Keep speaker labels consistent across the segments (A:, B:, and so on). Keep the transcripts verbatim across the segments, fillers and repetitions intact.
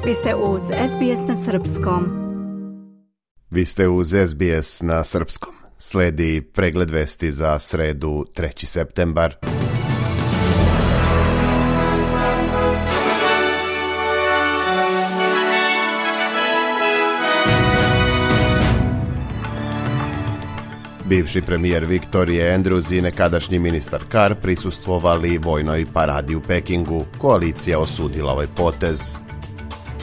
A: Vi ste uz S B S na srpskom.
B: Vi ste uz S B S na srpskom. Sledi pregled vesti za sredu treći septembar. Bivši premijer Victoria Andrews i nekadašnji ministar Carr prisustvovali vojnoj paradi u Pekingu. Koalicija osudila ovaj potez.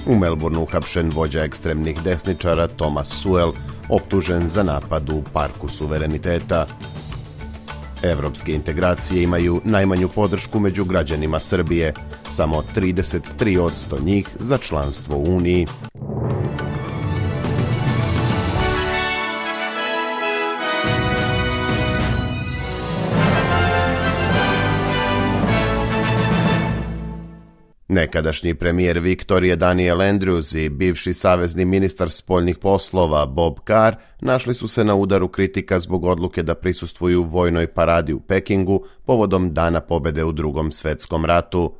B: U Melbourneu uhapšen vođa ekstremnih desničara Thomas Sewell, optužen za napad u Parku suvereniteta. Evropske integracije imaju najmanju podršku među građanima Srbije, samo trideset tri posto njih za članstvo u Uniji. Nekadašnji premijer Victoria Daniel Andrews i bivši savezni ministar spoljnih poslova Bob Carr našli su se na udaru kritika zbog odluke da prisustvuju vojnoj paradi u Pekingu povodom Dana pobjede u Drugom svjetskom ratu.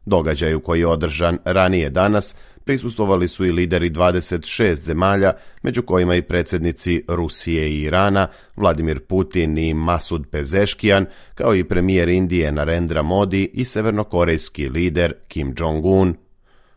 B: Događaju koji je održan ranije danas prisustvovali su i lideri dvadeset šest zemalja, među kojima i predsjednici Rusije i Irana, Vladimir Putin i Masud Pezeshkian, kao i premijer Indije Narendra Modi i severnokorejski lider Kim Jong-un.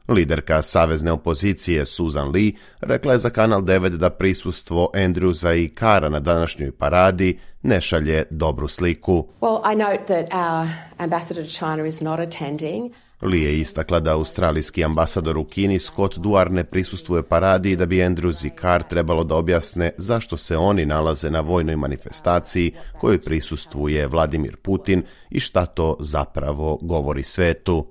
B: Liderka savezne opozicije Susan Lee rekla je za Kanal devet da prisustvo Andrewsa i Carra na današnjoj paradi ne šalje dobru sliku.
C: Well, I note that our ambassador to China is not attending.
B: Lee je istakla da australijski ambasador u Kini Scott Duar ne prisustvuje paradi i da bi Andrews i Carr trebalo da objasne zašto se oni nalaze na vojnoj manifestaciji kojoj prisustvuje Vladimir Putin i šta to zapravo govori svetu.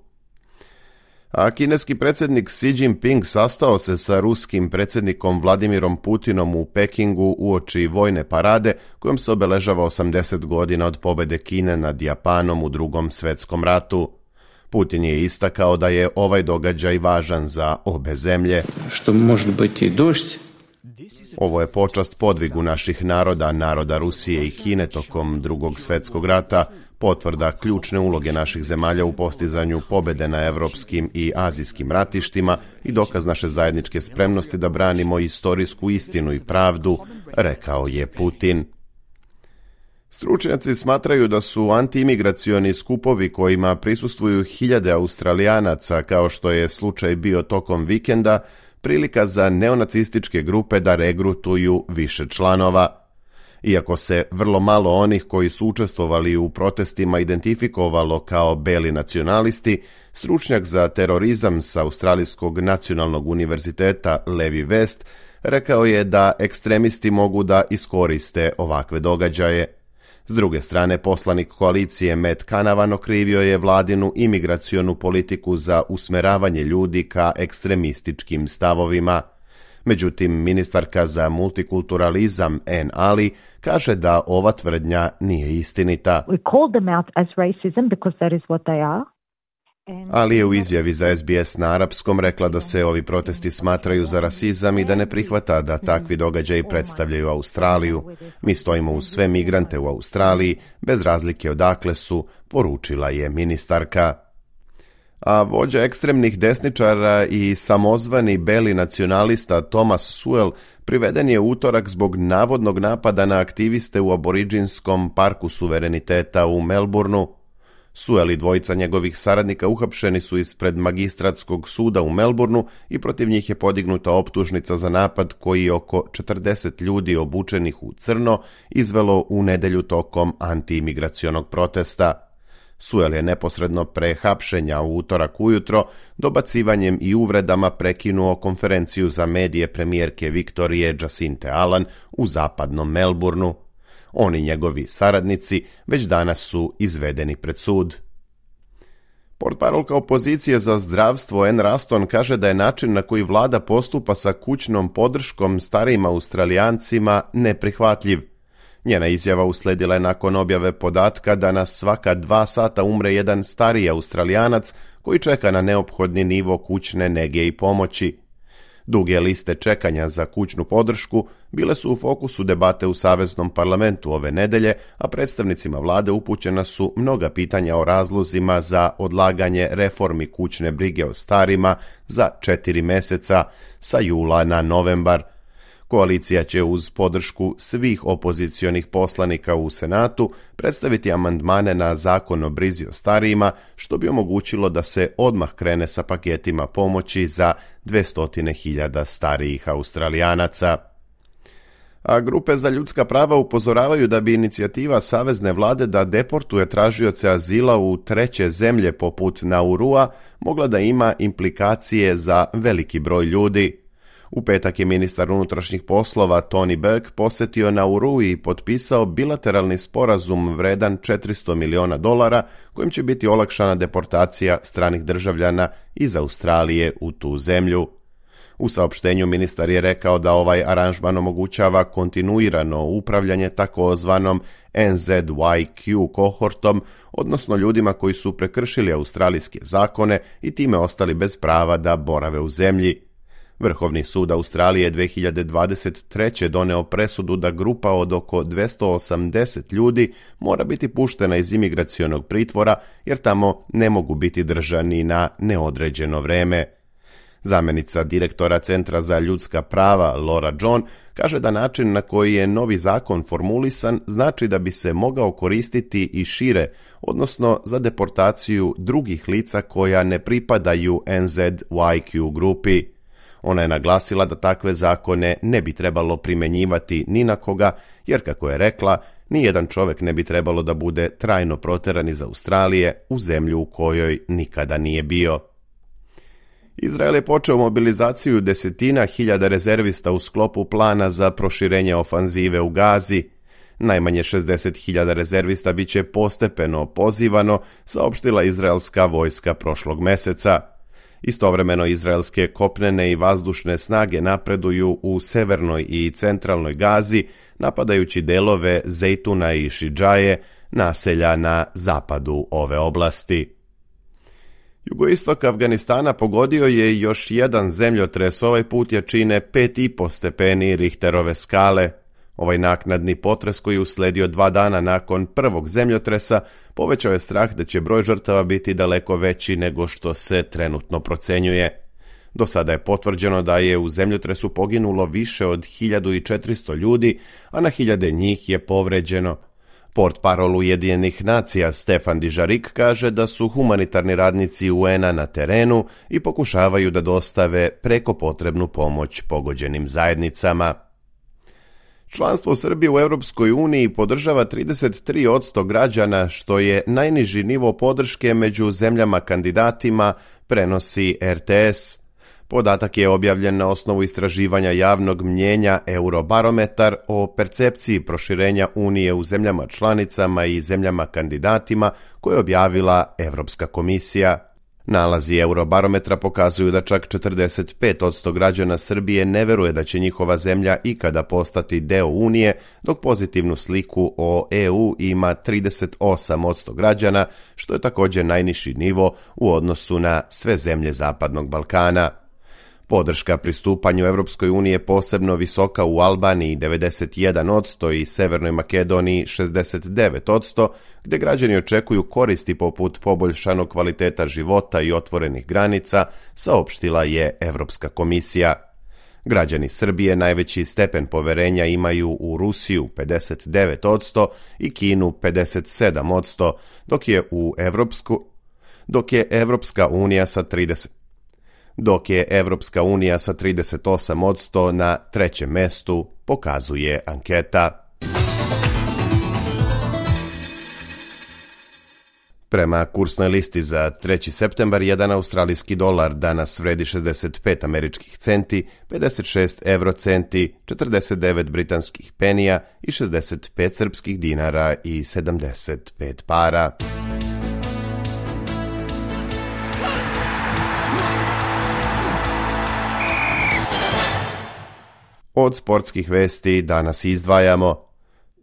B: A kineski predsjednik Xi Jinping sastao se sa ruskim predsjednikom Vladimirom Putinom u Pekingu uoči vojne parade kojom se obeležava osamdeset godina od pobjede Kine nad Japanom u Drugom svjetskom ratu. Putin je istakao da je ovaj događaj važan za obe zemlje.
D: Što može biti došć?
B: Ovo je počast podvigu naših naroda, naroda Rusije i Kine tokom Drugog svjetskog rata, potvrda ključne uloge naših zemalja u postizanju pobjede na evropskim i azijskim ratištima i dokaz naše zajedničke spremnosti da branimo istorijsku istinu i pravdu, rekao je Putin. Stručnjaci smatraju da su antiimigracioni skupovi kojima prisustvuju hiljade Australijanaca, kao što je slučaj bio tokom vikenda, prilika za neonacističke grupe da regrutuju više članova. Iako se vrlo malo onih koji su učestvovali u protestima identifikovalo kao beli nacionalisti, stručnjak za terorizam sa Australijskog nacionalnog univerziteta Levi West rekao je da ekstremisti mogu da iskoriste ovakve događaje. S druge strane, poslanik koalicije Matt Canavan okrivio je vladinu imigracionu politiku za usmeravanje ljudi ka ekstremističkim stavovima. Međutim, ministarka za multikulturalizam Ann Ali kaže da ova tvrdnja nije istinita.
E: We called them out as racism because that is what they are.
B: Ali je u izjavi za S B S na arapskom rekla da se ovi protesti smatraju za rasizam i da ne prihvata da takvi događaji predstavljaju Australiju. Mi stojimo uz sve migrante u Australiji, bez razlike odakle su, poručila je ministarka. A vođa ekstremnih desničara i samozvani beli nacionalista Thomas Sewell priveden je u utorak zbog navodnog napada na aktiviste u aboriđinskom parku suvereniteta u Melbourneu. Sewell i dvojica njegovih saradnika uhapšeni su ispred magistratskog suda u Melbourneu i protiv njih je podignuta optužnica za napad koji je oko četrdeset ljudi obučenih u crno izvelo u nedjelju tokom antiimigracionog protesta. Sewell je neposredno pre hapšenja u utorak ujutro dobacivanjem i uvredama prekinuo konferenciju za medije premijerke Viktorije Jacinthe Allen u zapadnom Melbourneu. On i njegovi saradnici već danas su izvedeni pred sud. Portparolka opozicije za zdravstvo Ann Ruston kaže da je način na koji vlada postupa sa kućnom podrškom starijim Australijancima neprihvatljiv. Njena izjava usledila je nakon objave podatka da na svaka dva sata umre jedan stariji Australijanac koji čeka na neophodni nivo kućne nege i pomoći. Duge liste čekanja za kućnu podršku bile su u fokusu debate u Saveznom parlamentu ove nedelje, a predstavnicima vlade upućena su mnoga pitanja o razlozima za odlaganje reformi kućne brige o starima za četiri meseca sa jula na novembar. Koalicija će uz podršku svih opozicionih poslanika u Senatu predstaviti amandmane na zakon o brizi o starijima, što bi omogućilo da se odmah krene sa paketima pomoći za dvjesto hiljada starijih Australijanaca. A grupe za ljudska prava upozoravaju da bi inicijativa savezne vlade da deportuje tražioce azila u treće zemlje poput Naurua mogla da ima implikacije za veliki broj ljudi. U petak je ministar unutrašnjih poslova Tony Burke posjetio Nauru i potpisao bilateralni sporazum vredan četiristo miliona dolara kojim će biti olakšana deportacija stranih državljana iz Australije u tu zemlju. U saopštenju ministar je rekao da ovaj aranžman omogućava kontinuirano upravljanje takozvanom N Z Y Q kohortom, odnosno ljudima koji su prekršili australijske zakone i time ostali bez prava da borave u zemlji. Vrhovni sud Australije dvije hiljade dvadeset treće doneo presudu da grupa od oko dvjesto osamdeset ljudi mora biti puštena iz imigracionog pritvora jer tamo ne mogu biti držani na neodređeno vreme. Zamjenica direktora Centra za ljudska prava Laura John kaže da način na koji je novi zakon formulisan znači da bi se mogao koristiti i šire, odnosno za deportaciju drugih lica koja ne pripadaju N Z Y Q grupi. Ona je naglasila da takve zakone ne bi trebalo primjenjivati ni na koga, jer kako je rekla, nijedan čovjek ne bi trebalo da bude trajno proteran iz Australije u zemlju u kojoj nikada nije bio. Izrael je počeo mobilizaciju desetina hiljada rezervista u sklopu plana za proširenje ofanzive u Gazi. Najmanje šezdeset hiljada rezervista bit će postepeno pozivano, saopštila izraelska vojska prošlog meseca. Istovremeno izraelske kopnene i vazdušne snage napreduju u severnoj i centralnoj Gazi, napadajući delove Zejtuna i Šidžaje, naselja na zapadu ove oblasti. Jugoistok Afganistana pogodio je još jedan zemljotres, ovaj put jačine pet i po stepeni Richterove skale. Ovaj naknadni potres koji je usledio dva dana nakon prvog zemljotresa povećao je strah da će broj žrtava biti daleko veći nego što se trenutno procenjuje. Do sada je potvrđeno da je u zemljotresu poginulo više od hiljadu četiristo ljudi, a na hiljade njih je povređeno. Portparol Ujedinjenih nacija Stefan Dižarik kaže da su humanitarni radnici U N-a na terenu i pokušavaju da dostave preko potrebnu pomoć pogođenim zajednicama. Članstvo Srbije u Europskoj uniji podržava trideset tri posto građana, što je najniži nivo podrške među zemljama kandidatima, prenosi R T S. Podatak je objavljen na osnovu istraživanja javnog mnjenja Eurobarometar o percepciji proširenja Unije u zemljama članicama i zemljama kandidatima koje je objavila Europska komisija. Nalazi Eurobarometra pokazuju da čak četrdeset pet posto građana Srbije ne veruje da će njihova zemlja ikada postati deo Unije, dok pozitivnu sliku o E U ima trideset osam posto građana, što je također najniži nivo u odnosu na sve zemlje Zapadnog Balkana. Podrška pristupanju Europskoj uniji je posebno visoka u Albaniji devedeset jedan posto i Severnoj Makedoniji šezdeset devet posto, gdje građani očekuju koristi poput poboljšanog kvaliteta života i otvorenih granica, saopštila je Europska komisija. Građani Srbije najveći stepen poverenja imaju u Rusiju pedeset devet posto i Kinu pedeset sedam posto, dok je u Evropsku, dok je Evropska unija sa trideset dok je Evropska unija sa trideset osam posto na trećem mestu, pokazuje anketa. Prema kursnoj listi za treći septembar, jedan australijski dolar danas vredi šezdeset pet američkih centi, pedeset šest evrocenti, četrdeset devet britanskih penija i šezdeset pet srpskih dinara i sedamdeset pet para. Od sportskih vesti danas izdvajamo: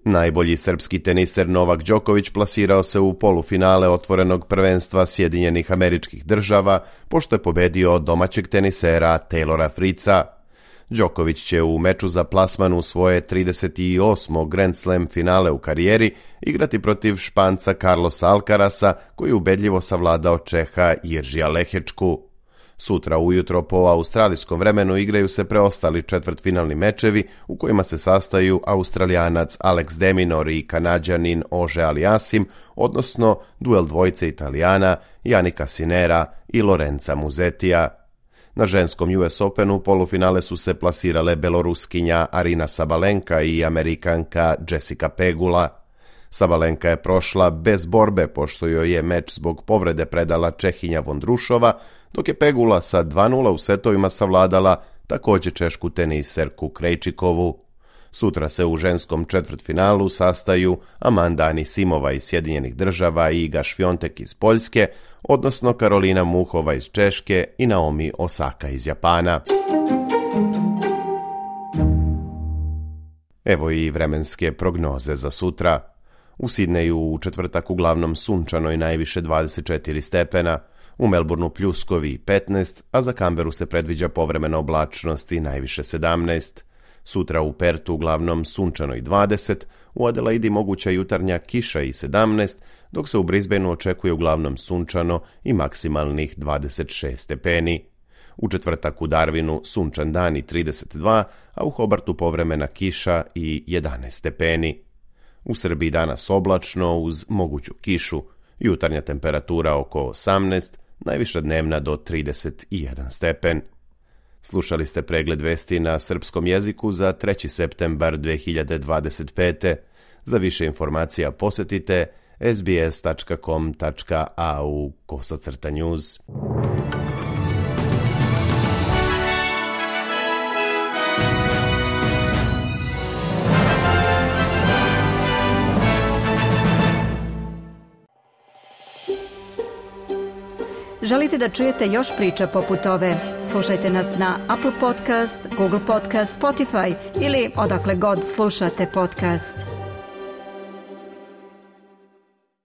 B: najbolji srpski teniser Novak Đoković plasirao se u polufinale otvorenog prvenstva Sjedinjenih Američkih Država, pošto je pobedio domaćeg tenisera Taylora Fritza. Đoković će u meču za plasman u svoje trideset osmo Grand Slam finale u karijeri igrati protiv Španca Carlosa Alcarasa, koji je ubedljivo savladao Čeha Jiržija Lehečku. Sutra ujutro po australijskom vremenu igraju se preostali četvrtfinalni mečevi u kojima se sastaju Australijanac Alex de Minaur i Kanađanin Ože Aliasim, odnosno duel dvojice Italijana Janika Sinera i Lorenza Musetija. Na ženskom U S Openu polufinale su se plasirale Beloruskinja Arina Sabalenka i Amerikanka Jessica Pegula. Sabalenka je prošla bez borbe pošto joj je meč zbog povrede predala Čehinja Vondrušova, dok je Pegula sa dva nula u setovima savladala također češku teniserku Krejčikovu. Sutra se u ženskom četvrtfinalu sastaju Amanda Anisimova iz Sjedinjenih Država i Iga Švjontek iz Poljske, odnosno Karolina Muhova iz Češke i Naomi Osaka iz Japana. Evo i vremenske prognoze za sutra. U Sidneju u četvrtak uglavnom sunčano i najviše dvadeset četiri stepena, u Melbourneu pljuskovi i petnaest, a za Kamberu se predviđa povremena oblačnost i najviše sedamnaest. Sutra u Pertu uglavnom sunčano i dvadeset, u Adelaidi moguća jutarnja kiša i sedamnaest, dok se u Brisbaneu očekuje uglavnom sunčano i maksimalnih dvadeset šest stepeni. U četvrtak u Darwinu sunčan dan i trideset dva, a u Hobartu povremena kiša i jedanaest stepeni. U Srbiji danas oblačno uz moguću kišu, jutarnja temperatura oko osamnaest, najviša dnevna do trideset jedan stepen. Slušali ste pregled vesti na srpskom jeziku za treći septembar dve hiljade dvadeset pete. Za više informacija posjetite sbs tačka com tačka a u kosacrta news.
A: Želite da čujete još priča poput ove? Slušajte nas na Apple Podcast, Google Podcast, Spotify ili odakle god slušate podcast.